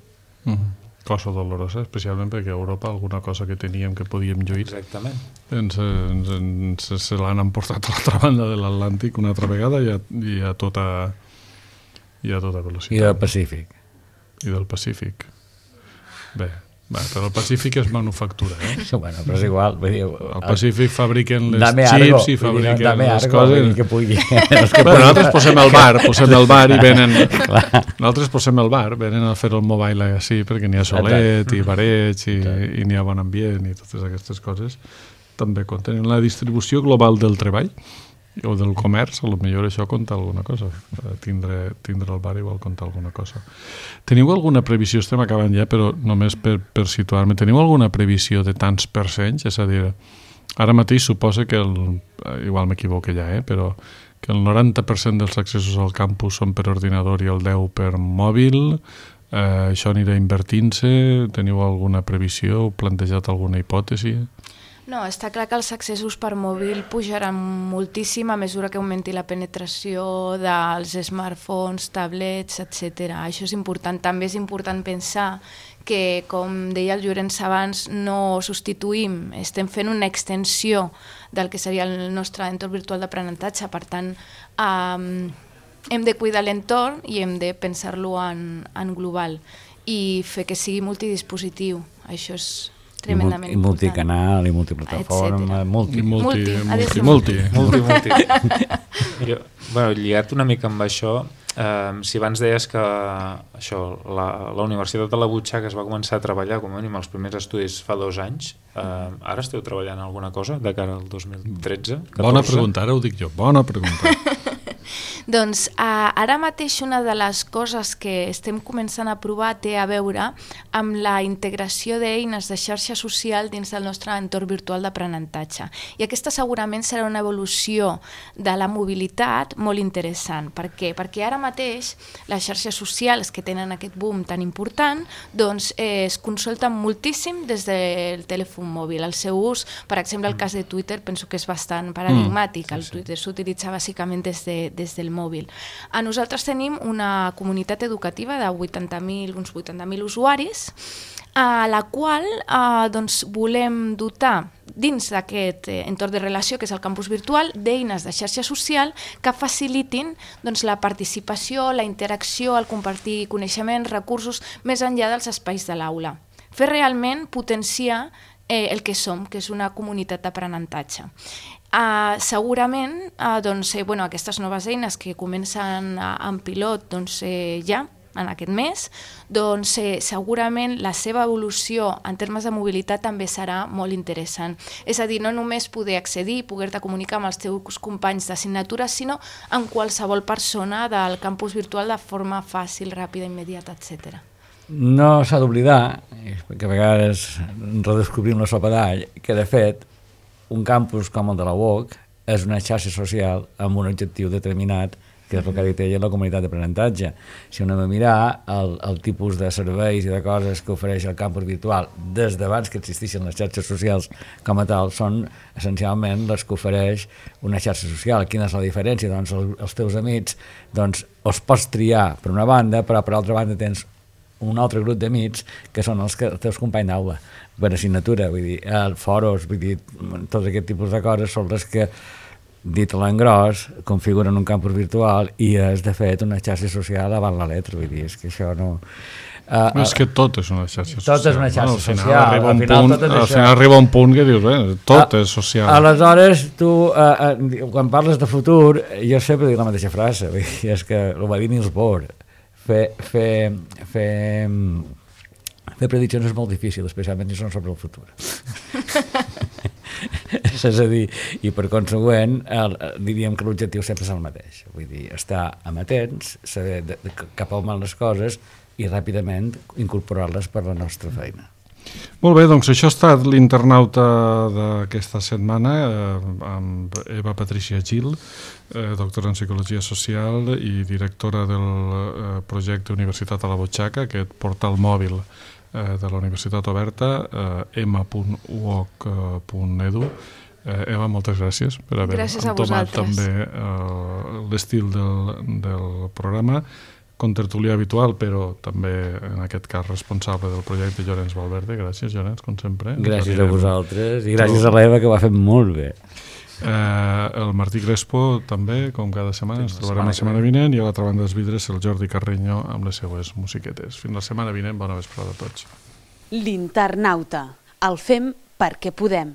Cosa dolorosa, especialment perquè a Europa alguna cosa que teníem que podíem lluir se l'han emportat a l'altra banda de l'Atlàntic una altra vegada i a tota velocitat. I del Pacífic. I del Pacífic. Bé, però el Pacífic és manufactura, Bueno, però és igual. Al Pacífic fabriquen les xips i fabriquen les coses. Nosaltres posem el bar i venen... Nosaltres posem el bar, venen a fer el mobile així, perquè n'hi ha solet i bareig i n'hi ha bon ambient i totes aquestes coses. També compten la distribució global del treball o del comerç, potser això compta alguna cosa. Tindre el bar igual compta alguna cosa. Teniu alguna previsió, estem acabant ja, però només per situar-me, teniu alguna previsió de tants percenys? És a dir, ara mateix suposa que igual m'equivoco ja, però que el 90% dels accessos al campus són per ordinador i el 10% per mòbil, Això anirà invertint-se? Teniu alguna previsió? Heu plantejat alguna hipòtesi? No, està clar que els accessos per mòbil pujaran moltíssim a mesura que augmenti la penetració dels smartphones, tablets, etc. Això és important. També és important pensar que, com deia el Llorenç abans, no substituïm, estem fent una extensió del que seria el nostre entorn virtual d'aprenentatge. Per tant, hem de cuidar l'entorn i hem de pensar-lo en global i fer que sigui multidispositiu. Això és tremendament important. I multicanal, i multiplataforma, multi. Lligat una mica amb això, si abans deies que la Universitat de la Butxaca es va començar a treballar com a mínim els primers estudis fa 2 anys, ara esteu treballant en alguna cosa de cara al 2013? 14? Bona pregunta, ara ho dic jo, bona pregunta. Doncs ara mateix una de les coses que estem començant a provar té a veure amb la integració d'eines de xarxa social dins del nostre entorn virtual d'aprenentatge. I aquesta segurament serà una evolució de la mobilitat molt interessant. Per què? Perquè ara mateix les xarxes socials que tenen aquest boom tan important doncs es consulten moltíssim des del telèfon mòbil. El seu ús, per exemple, el cas de Twitter, penso que és bastant paradigmàtic. El Twitter s'utilitza bàsicament des del mòbil. Nosaltres tenim una comunitat educativa de uns 80.000 usuaris, a la qual volem dotar dins d'aquest entorn de relació, que és el campus virtual, d'eines de xarxa social que facilitin la participació, la interacció, el compartir coneixements, recursos, més enllà dels espais de l'aula. Fer realment potenciar el que som, que és una comunitat d'aprenentatge. Segurament aquestes noves eines que comencen en pilot ja en aquest mes, segurament la seva evolució en termes de mobilitat també serà molt interessant. És a dir, no només poder accedir, poder-te comunicar amb els teus companys d'assignatura, sinó amb qualsevol persona del campus virtual de forma fàcil, ràpida, immediata, etc. No s'ha d'oblidar, perquè a vegades redescobrim la sopa d'all, que de fet un campus com el de la UOC és una xarxa social amb un objectiu determinat, que és el que ha dit ella, la comunitat d'aprenentatge. Si anem a mirar el tipus de serveis i de coses que ofereix el campus virtual des d'abans que existeixen les xarxes socials com a tal, són essencialment les que ofereix una xarxa social. Quina és la diferència? Doncs els teus amics els pots triar per una banda, però per altra banda tens un altre grup d'amics que són els teus companys d'aula per assignatura, vull dir, foros, vull dir, tot aquest tipus de coses són les que, dit a l'engròs, configuren un campus virtual i és, de fet, una xarxa social avant la letra, vull dir, és que això no... És que tot és una xarxa social. Tot és una xarxa social. Al final arriba un punt que dius, tot és social. Aleshores, tu, quan parles de futur, jo sempre dic la mateixa frase, és que ho va dir Niels Bohr, fer prediccions és molt difícil, especialment si són sobre el futur. És a dir, i per consegüent, diríem que l'objectiu sempre és el mateix. Vull dir, estar amatents, saber cap on van les coses i ràpidament incorporar-les per la nostra feina. Molt bé, doncs això ha estat l'internauta d'aquesta setmana amb Eva Patricia Gil, doctora en Psicologia Social i directora del projecte Universitat a la Butxaca, aquest portal mòbil de la Universitat Oberta, m.uoc.edu. Eva, moltes gràcies per haver entomat també l'estil del programa, contertulià habitual, però també en aquest cas responsable del projecte Llorenç Valverde. Gràcies, Llorenç, com sempre. Gràcies a vosaltres i gràcies a l'Eva, que ho ha fet molt bé. El Martí Crespo també, com cada setmana, ens trobarem la setmana vinent, i a l'altra banda dels vidres el Jordi Carreño amb les seues musiquetes. Fins la setmana vinent, bona vesprada a tots. L'internauta. El fem perquè podem.